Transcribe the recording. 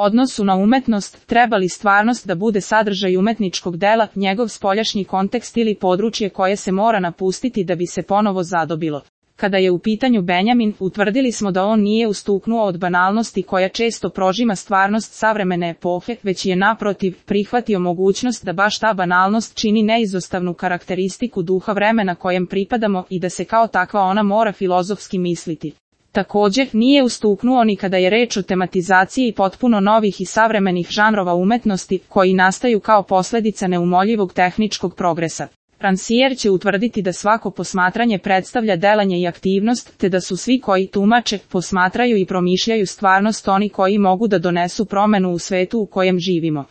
odnosu na umetnost, treba li stvarnost da bude sadržaj umetničkog dela, njegov spoljašnji kontekst ili područje koje se mora napustiti da bi se ponovo zadobilo. Kada je u pitanju Benjamin, utvrdili smo da on nije ustuknuo od banalnosti koja često prožima stvarnost savremene epohe, već je naprotiv prihvatio mogućnost da baš ta banalnost čini neizostavnu karakteristiku duha vremena kojem pripadamo i da se kao takva ona mora filozofski misliti. Također, nije ustuknuo ni kada je reč o tematizaciji potpuno novih i savremenih žanrova umetnosti, koji nastaju kao posljedica neumoljivog tehničkog progresa. Rancière će utvrditi da svako posmatranje predstavlja delanje i aktivnost, te da su svi koji tumače, posmatraju i promišljaju stvarnost oni koji mogu da donesu promenu u svetu u kojem živimo.